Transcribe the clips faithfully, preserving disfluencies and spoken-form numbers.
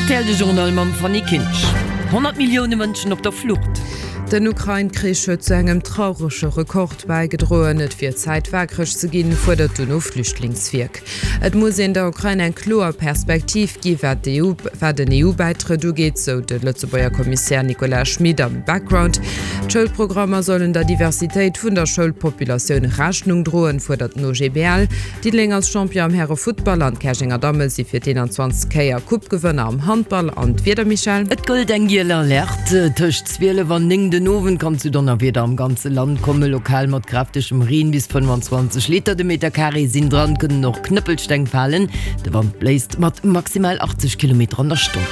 Rtl de Journal mam Fanny Kinsch. Honnert Millioune Mënschen op der Flucht. Den Ukrain-Krich huet zu engem traurege Rekord bäigedroen. Et wier Zäit waakreg ze ginn, fuerdert d'UNO-Flüchtlingswierk. Et muss een der Ukrain eng kloer Perspektiv gi wat d'EU, wat den EU-Bäitrëtt ugeet, sou de Lëtzebuerger Kommissär Nicolas Schmit am Background. D'Schoulprogrammer sollen der Diversitéit vun der Schoulpopulatioun Rechnung droen, fuerdert den OGBL. Diddeleng ass Champion am Häre-Futtball an d'Käerjenger Damme si fir d'eenanzwanzegst Kéier Coupe-Gewënner am Handball. An d'Wieder, Michèle? Et gëllt eng giel Alerte. Tëscht zwielef an néng den Owend kann zu Donnerwieder am ganze Land kommen, lokal mat kräftegem Reen. Bis fënnwanzwanzeg Liter de Meter Carré sinn dran, kënnen och Knëppelsteng falen. De Wand bléist mat maximal achtzeg Kilometer an der Stonn.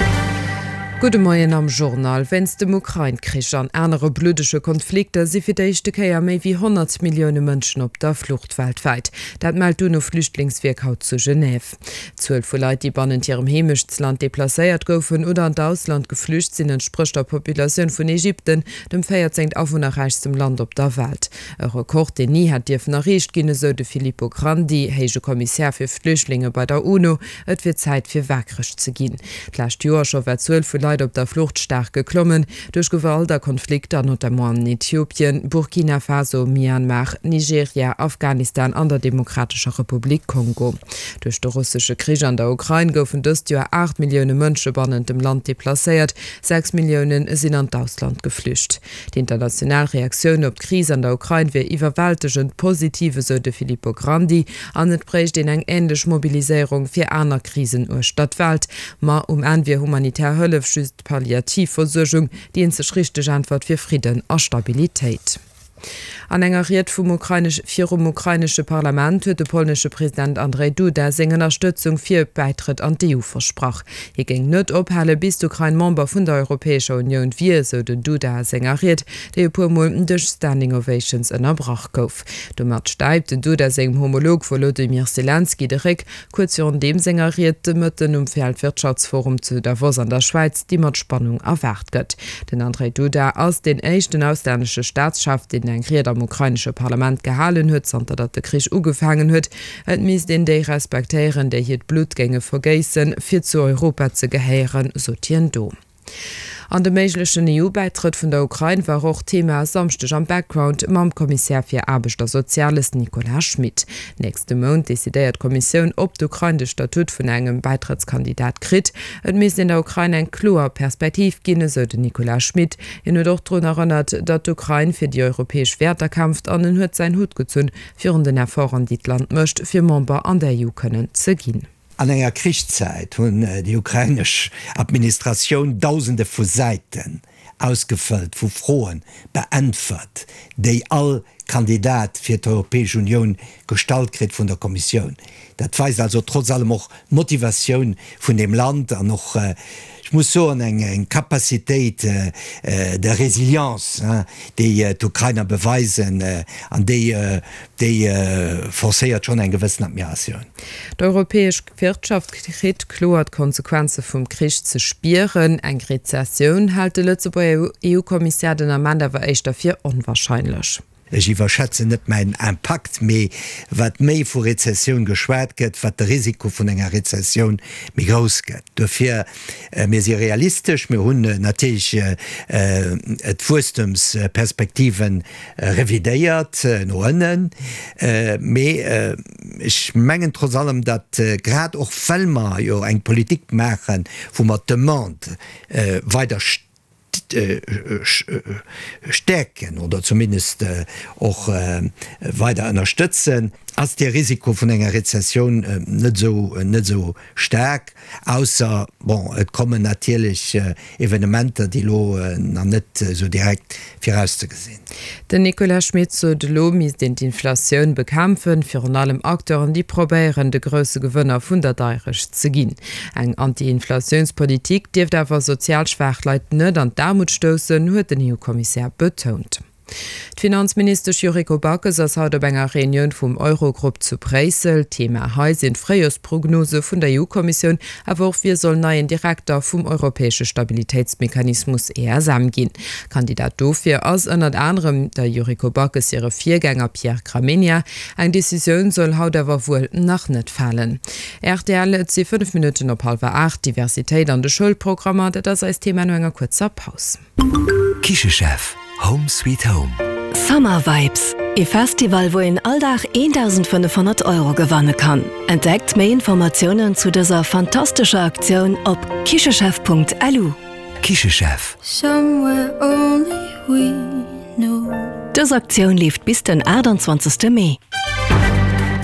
Gudde Moien am Journal. Wéinst dem Ukrain-Krich an anere bluddege Konflikter si fir d'éischte Kéier méi wéi honnert Millioune Mënschen op der Flucht weltwäit. Dat mellt d'UNO-Flüchtlingswierk haut zu Genève. D'Zuel vu Leit, déi bannent hirem Heemechtsland deplacéiert goufen oder an d'Ausland geflücht sinn, entsprécht der Populatioun vun Ägypten, dem véierzéngt awunnerräichstem Land op der Welt. E Rekord, deen ni hätt dierfen erreecht ginn, esou de Filippo Grandi, héije Kommissär fir Flüchtlinge bei der UNO. Et wier Zäit fir waakreg ze ginn. D'lescht Joer scho war d'Zuel vu Leit op der Flucht staark geklommen, duerch Gewalt a Konflikter, notamment an Äthiopien, Burkina Faso, Myanmar, Nigeria, Afghanistan an der Demokratescher Republik Kongo. Duerch de russesche Krich an der Ukrain goufen dëst Joer aacht Millioune Mënsche bannent dem Land deplacéiert, sechs Millioune sinn an d'Ausland geflücht. Déi international Reaktioun op d'Kris an der Ukrain wier iwwerwältegend positiv, esou de Filippo Grandi, an et bréicht een eng änlech Mobiliséierung fir aner Krisen uechter d'Welt. Ma um Enn wier humanitär Hëllef just Palliativversuergung, déi eenzeg richteg Äntwert fir Fridden a Stabilitéit. An enger Ried vum ukrainesch virum ukrainesche Parlament huet de polnesche President Andrzej Duda seng Ënnerstëtzung fir e Bäitrëtt an d'EU versprach. Hie géing net ophale bis d'Ukrain Member vun der Europäescher Unioun wier, sou den Duda a senger Ried, déi e puer Mol duerch Standing Ovations ënnerbrach gouf. Domat stäipt den Duda sengem Homolog Wolodymyr Selenskyj de Réck, kuerz virun deem senger Ried de Mëtten um Weltwirtschaftsforum zu Davos an der Schwäiz, déi mat Spannung erwaart gëtt. Den Andrzej Duda ass deen éischten auslännesche Staatschef, deen eng Ried am ukrainesche Parlament gehalen huet, zanter datt de Krich ugefaangen huet. Et misst een déi respektéieren, déi hiert Blutt géinge vergéissen, fir zu Europa ze gehéieren, sot hien do. An de méiglechen EU-Bäitrëtt vun der Ukrain war och Thema e Samschdeg am Background mam Kommissär fir Aarbecht a Soziales Nicolas Schmit. Nächste Mount decidéiert d'Kommissioun, ob d'Ukrain de Statut vun engem Bäitrëttskandidat kritt. Et misst een der Ukrain eng kloer Perspektiv ginn, esou den Nicolas Schmit. Hien huet och drun erënnert, datt d'Ukrain fir déi europäesch Wäerter kämpft an en huet säin Hutt gezunn virun den Efforten, déi d'Land mécht, fir Member an der EU kënnen ze ginn. An enger Krichszäit hunn déi ukrainesch Administratioun Dausende vu Säiten ausgefëllt, vu Froen beäntwert, déi all Kandidat fir d'Europäesch Unioun gestallt kritt vun der Kommissioun. Dat weist also trotz allem och d'Motivatioun vun deem Land an och, ech muss soen, eng Capacitéit de résilience, déi d'Ukrainer beweisen an déi, déi forcéiert schonn eng gewëssen Admiratioun. D'europäesch Wirtschaft kritt kloer d'Konsequenze vum Krich ze spieren. Eng Rezessioun hält de Lëtzebuerger EU-Kommissär den Ament awer éischter fir onwarscheinlech. Ech iwwerschätzen net mäin Impakt, mee wat méi vu Rezessioun geschwat gëtt, wat de Risiko vun enger Rezessioun méi grouss gëtt. Dofir, mir si realistesch, mir hunn natierlech d'Wuesstemsperspektive revidéiert no ënnen, mee ech mengen trotz allem, datt grad och well mer jo eng Politik maachen, wou mer d'Demande weider stäerken oder zumindest och weider ënnerstëtzen, ass de Risiko vun enger Rezessioun net esou net esou staark, ausser, bon, et kommen natierlech Evenementer, déi elo nach net esou direkt virauszegesinn. Den Nicolas Schmit sot, elo misst een d'Inflatioun bekämpfen, virun allem Acteuren, déi probéieren, de grousse Gewënner vun der Deierecht ze ginn. Eng Anti-Inflatiounspolitik dierft awer sozial schwaach Leit net an d'Aarmut stoussen, huet den EU-Kommissär betount. D'Finanzministesch Yuriko Backes ass haut op enger Reunioun vum Eurogrupp zu Bréissel. Thema hei sinn d'Fréijorsprognose vun der EU-Kommissioun, awer och wie soll neien Direkter vum europäesche Stabilitéitsmechanismus E S M ginn. Kandidat dofir ass ënnert anerem der Yuriko Backes hire Virgänger Pierre Gramegna. Eng Decisioun soll haut awer wuel nach net falen. R T L, et si fënnef Minutten op hallwer aacht. Diversitéit an de Schoulprogrammer, dat ass eist Thema no enger kuerzer Paus. Kichechef, Home Sweet Home. Summer Vibes, e Festival, wou een all Dag dausendfënnefhonnert Euro gewanne kann. Entdeckt méi Informatiounen zu dëser fantastescher Aktioun op kichechef Punkt L U. Kichechef. Somewhere only we know. Dës Aktioun leeft bis den aachtanzwanzegste Mee.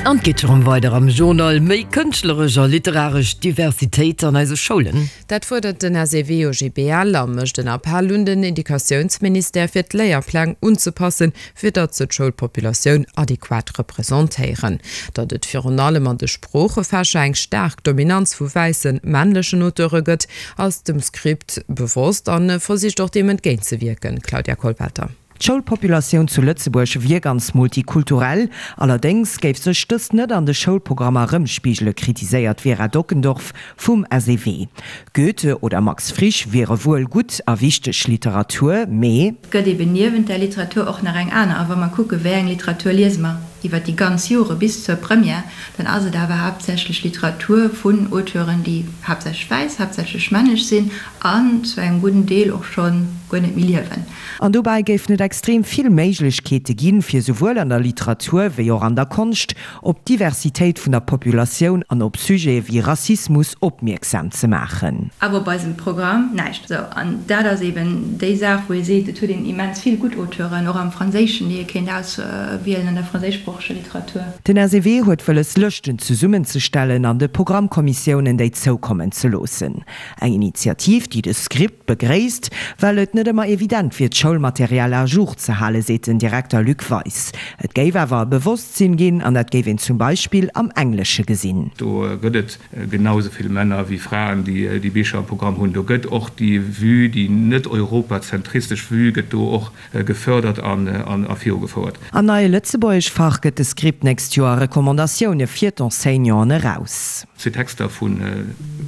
An et geet erëm weider am Journal. Méi kënschtleresch a literaresch Diversitéit an eise Schoulen. Dat fuerdert den S E W O G B L a mécht en Appell un den Educatiounsministère fir d'Léierpläng unzepassen, fir datt se d'Schoulpopulatioun adequat representéieren. Datt et virun allem an de Sproochefächer eng staark Dominanz vu wäisse männlechen Auteure gëtt, ass dem Script bewosst an versicht och deem entgéintzewierken. Claudia Kollwelter. D'Schoulpopulatioun zu Lëtzebuerg wier ganz multikulturell, allerdéngs géif sech dëst net an de Schoulprogrammer rëmspigelen, kritiséiert Vera Dockendorf vum S E W. Goethe oder Max Frisch wiere wuel gutt a wichteg Literatur, mee gëtt eben niewent der Literatur och nach eng aner. A wa mer kucke wéi eng Literatur liese mer iwwer déi ganz Jore bis zur Première, dann ass et awer haaptsächlech Literatur vun Auteuren, déi haaptsächlech wäiss, haaptsächlech männlech sinn an zu engem gudden Deel och schonn guer net méi liewen. An dobäi géifen et extrem vill Méiglechkeete ginn, fir souwuel an der Literatur wéi och an der Konscht op d'Diversitéit vun der Populatioun an op Sujete wéi Rassismus opmierksam ze maachen. Awer bei eisem Programm näischt. Sou, an dat ass eben déi Saach, wou ee seet, et huet een immens vill gutt Auteuren, och am Franséischen, déi ee kéint auswielen an der franséischsproocheger Literatur. Den S E W huet wëlles, Lëschten zesummenzestellen an de Programmkommissiounen déi zoukommen ze loossen. Eng Initiativ, déi de Script begréisst, well et net ëmmer evident wier, d'Schoulmaterial à jour ze halen, seet den Direkter Luc Weis. Et géif awer e Bewosstsinn ginn an dat géif een zum Beispill am Englesche gesinn. Do gëtt et genau sou vill Männer wéi Fraen, déi déi Bicher am Programm hunn. Do gëtt och déi Vue, déi net europazentristesch Vue gëtt do och gefërdert an an a virugefouert. Am neie Lëtzebuergeschfach gëtt de Script d'nächst Joer Recommandatioune fir d'Enseignanten eraus. Zwee Texter vun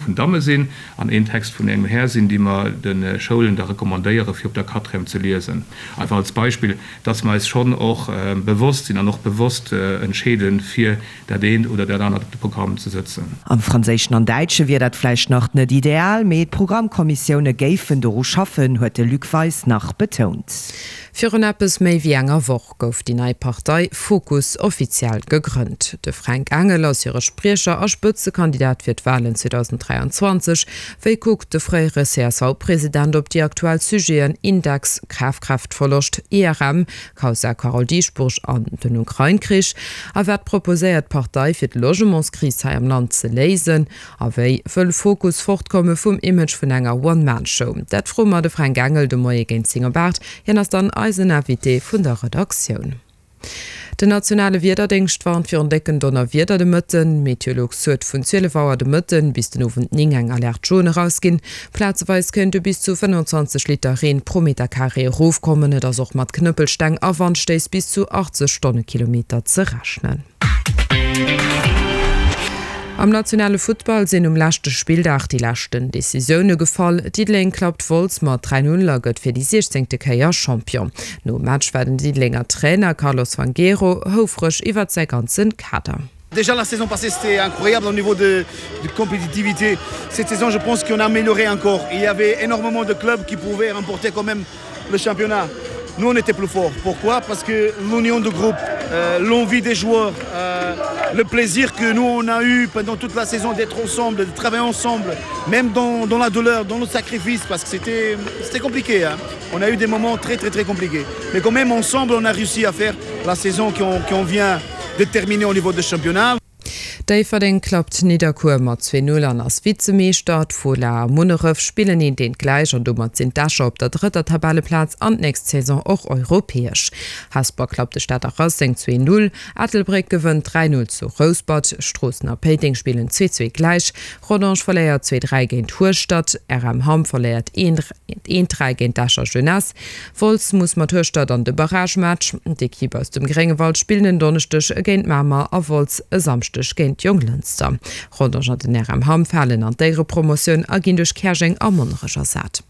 vun Damme sinn an een Text vun engem Här sinn, déi mer de Schoulen da recommandéiere fir op der Quatrième ze liesen. Einfach als Beispill, dass mer eis schonn och bewosst sinn an och bewosst entscheeden, fir dat eent oder dat anert op de Programm ze sëtzen. Am Franséischen an Däitsche wier dat vläicht nach net ideal, mee d'Programmkommissioune géifen doru schaffen, huet de Luc Weis nach betount. Virun eppes méi wéi enger Woch gouf déi nei Partei Fokus offiziell gegrënnt. De Fränk Engel ass hire Spriecher a Spëtzekandidat fir d'Walen zweedausend dräianzwanzeg. Wéi kuckt de fréiere C S V-President op déi aktuell Sujeten Index, Kafkraaftverloscht, I R M, Kausa Carole Dieschbourg an den Ukrain-Krich? A wat proposéiert d'Partei fir d'Logementskris hei am Land ze léisen? A wéi wëll Fokus fortkomme vum Image vun enger One-Man-Show? Dat froe mer de Fränk Engel de Moie géint zéng op aacht. Hien ass dann eisen Invité vun der Redaktioun. Den nationale Wiederdéngscht warnt virun décken Donnerwieder de Mëtten. Meteolux huet vun zwielef Auer de Mëtten bis den Owend néng eng Alerte jaune erausginn. Plazeweis kéinte bis zu fënnfanzwanzeg Liter Reen pro Meter Carré erofkommen. Et ass och mat Knëppelsteng a Wandstéiss bis zu achtzeg Stonnekilometer ze rechnen. Am nationale Futtball sinn um leschte Spilldag déi leschten Decisioune gefall. Diddeleng klappt Wolz mat dräi null a gëtt fir déi siechzéngte Kéier Champion. Nom Match war den Diddelenger Trainer Carlos Fangueiro houfreg iwwer säi ganze Kader. Déjà la saison passée, c'était incroyable au niveau de, de compétitivité. Cette saison, je pense qu'on a amélioré encore. Il y avait énormément de clubs qui pouvaient remporter quand même le championnat. Nous, on était plus forts. Pourquoi? Parce que l'union de groupe, euh, l'envie des joueurs, euh, le plaisir que nous, on a eu pendant toute la saison d'être ensemble, de travailler ensemble, même dans, dans la douleur, dans le sacrifice, parce que c'était c'était compliqué, hein. On a eu des moments très, très, très compliqués. Mais quand même, ensemble, on a réussi à faire la saison qu'on qu'on vient de terminer au niveau de championnat. Déifferdeng klappt Nidderkuer mat zwee Null an ass Vizemeeschter. D'Fola a Munneref spillen eent eent gläich an domat sinn d'Escher op der drëtter Tabelleplaz an d'nächst Saison och europäesch. Hesper klappt de Stater Racing zwee Null, Ettelbréck gewënnt dräi Null zu Rouspert, Stroossen a Péiteng spillen zwee zwee gläich, Rodange verléiert zwee dräi géint Hueschtert, R M Hamm verléiert eent dräi géint d'Escher Jeunesse. Wolz muss mat Hueschtert an de Barragematch. D'Ekipp aus dem Gréngewald spillen en Donneschdeg géint Mamer a Wolz e Samschdeg géint Jonglënster. Rodange an den R M Hamm falen an d'Éierepromotioun a ginn duerch Käerjeng a Monnerech ersat.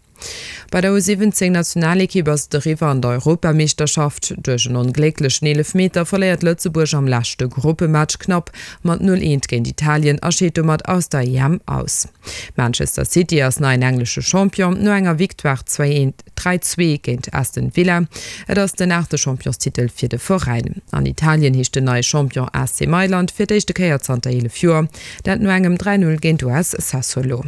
Bei der U siwwenzéng Nationalekipp ass et eriwwer an der Europameeschterschaft. Duerch en onglécklechen Eelefmeter verléiert Lëtzebuerg am leschte Gruppematch knapp mat null eent géint Italien a scheet domat aus der E M aus. Manchester City ass neien englesche Champion no enger Victoire zwee eent, dräi zwee géint Aston Villa. Et ass den aachte Championstitel fir de Veräin. An Italien heescht den neie Champion A C Mailand fir d'éischte Kéier zanter eelef Joer, dat no engem dräi null géint U S Sassuolo.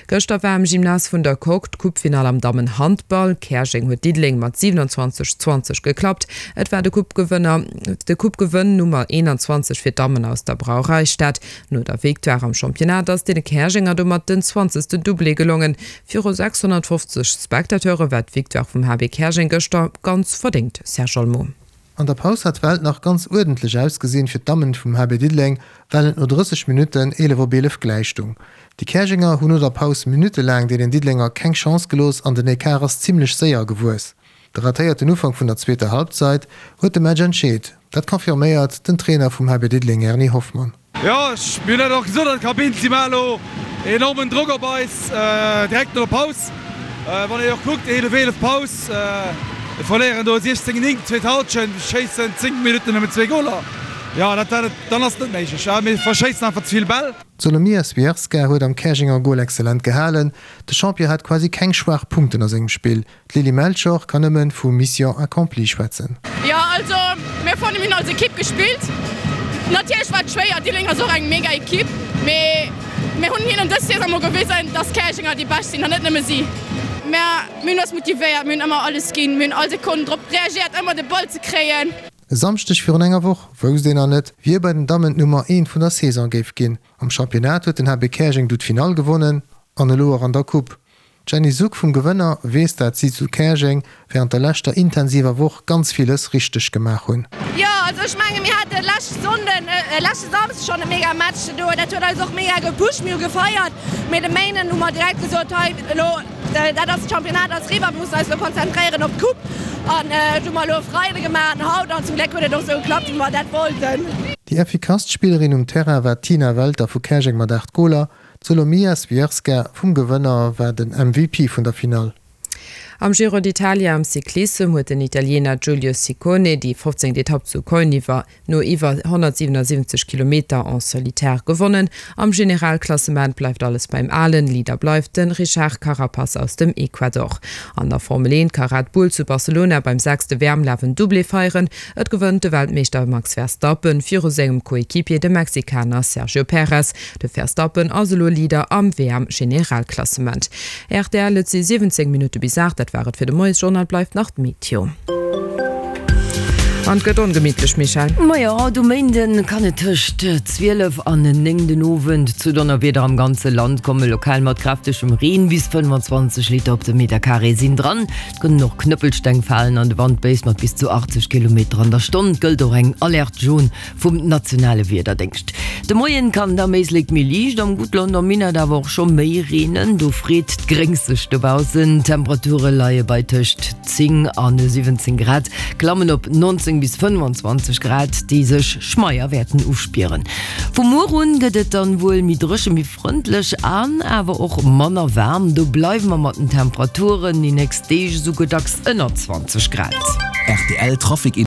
Gëschter war am Gymnase vun der Coque d'Coupefinall am Dammenhandball. Käerjeng huet Diddeleng mat siwenanzwanzeg, zwanzeg geklappt. Et war de Coupegewënner, de Coupegewënn Nummer eenanzwanzeg fir d'Dammen aus der Brauereistad. No der Victoire am Championnat ass deene Käerjenger domat den zwanzegsten Doublé gelongen. Viru sechshonnertfofzeg Spectateure war d'Victoire vum H B Käerjeng gëschter ganz verdéngt, Serge Olmo. An der Paus hat d'Welt nach ganz uerdentlech ausgesinn fir d'Dammen vum H B Diddeleng, well et no drësseg Minutten eelef op eelef gläich stung. Déi Käerjenger hunn no der Paus minuttelaang deenen Diddelenger keng Chance gelooss an den Ecart ass zimmlech séier gewuess. De ratéierten Ufank vun der zweeter Halbzeit huet de Match entscheet, dat confirméiert den Trainer vum H B Diddeleng Erni Hoffmann. Jo, mir hunn dat och gesot an der Kabinn, si maache elo enormen Drock op eis direkt no der Paus. Wann een och kuckt, eelef eelef Paus, mir verléieren do siechzéng néng, zweet Halschent, schéissen zéng Minutten nëmmen zwee Goler. Jo, dat, dann ass et net méiglech. Mir verschéissen einfach ze vill Bäll. D'Solomia Swiarska huet am Käerjenger Gol exzellent gehalen. De Champion hat quasi keng schwaach Punkten a sengem Spill. D'Lilly Melchior kann nëmmen vu Mission accomplie schwätzen. Jo, also mir fannen, mir hunn als Ekipp gespillt. Natierlech war et schwéier, Diddeleng ass och eng mega Ekipp, mee mir hunn hinnen dës Saison mol gewisen, dass Käerjenger déi Bescht sinn an net nëmme si. Mä mir hunn eis motivéiert, mir hunn ëmmer alles ginn, mir hunn all Sekonn drop reagéiert, ëmmer de Ball ze kréien. E Samschdeg virun enger Woch wousst een nach net, wie bei den Dammen d'Nummer eent vun der Saison géif ginn. Am Championnat huet den H B Käerjeng du d'Finall gewonnen an elo och an der Coupe. D'Jenny Suck vum Gewënner weess dat si zu Käerjeng wärend der leschter intensiver Woch ganz villes richteg gemaach hunn. Jo, also ech menge mir hate lescht Sonnden, leschte Samsde schonn e mega Match do. Dat huet eis och mega gepusht, mir hu gefeiert. Mee de Méinden hu mer direkt gesot, hei elo dat ass, d'Championnat ass eriwwer, mir mussen eis elo konzentréieren op d'Coupe. An dat hu mer elo e Freide gemaach an haut an zum Gléck huet et och esou geklappt, wéi mer dat wollten. Déi effikasst Spillerin um Terrain war d'Tina Welter vu Käerjeng mat aacht Goler. D'Solomia Swiarska vum Gewënner war den M V P vun der Finall. Am Giro d'Italia am Cyclissem huet den Italiener Giulio Ciccone déi fofzéngt Etapp zu Cogne iwwer no iwwer honnertsiwenasiwwenzeg Kilometer en solitaire gewonnen. Am Generalklassement bleift alles beim Alen, Leader bleift de Richard Carapaz aus dem Ecuador. An der Formel eent ka Red Bull zu Barcelona beim sechste W M-Laf en Doublé feieren. Et gewënnt de Weltmeeschter Max Verstappen viru sengem Coequipier, dem Mexikaner Sergio Perez. De Verstappen ass elo Leader am W M-Generalklassement. Rtl, Et si siwwenzéng Minutte bis aacht, dat war et fir de Moiesjournal, bleift nach d'Meteo. An et gëtt ongemittlech, Michèle. Majo, haut um Méinden kann et tëscht zwielef an néng den Owend zu Donnerwieder am ganze Land kommen, lokal mat kräftegem Reen. Bis fënnfanzwanzeg Liter op de Meterkaree sinn dran. Et kënnen och Knëppelsteng falen an de Wand béist mat bis zu achtzeg Kilometer an der Stonn. Et gëllt och eng Alerte jaune vum nationale Wiederdéngscht. De Moien kann et am Éislek méi liicht, am Guttland am Minett awer och scho méi reenen. Do freet d'Gréngs sech dobaussen. D'Temperature leie bei tëscht zéng a siwwenzéng Grad, klammen op nonzéng bis fënnfanzwanzeg Grad, déi sech schmeier wäerten uspieren. Vu muer un gëtt et dann wuel méi dréche, méi frëndlech an awer och manner waarm. Do bleiwe mer mat den Temperaturen déi nächst Deeg esouguer dacks ënner zwanzeg Grad. Rtl Trafic.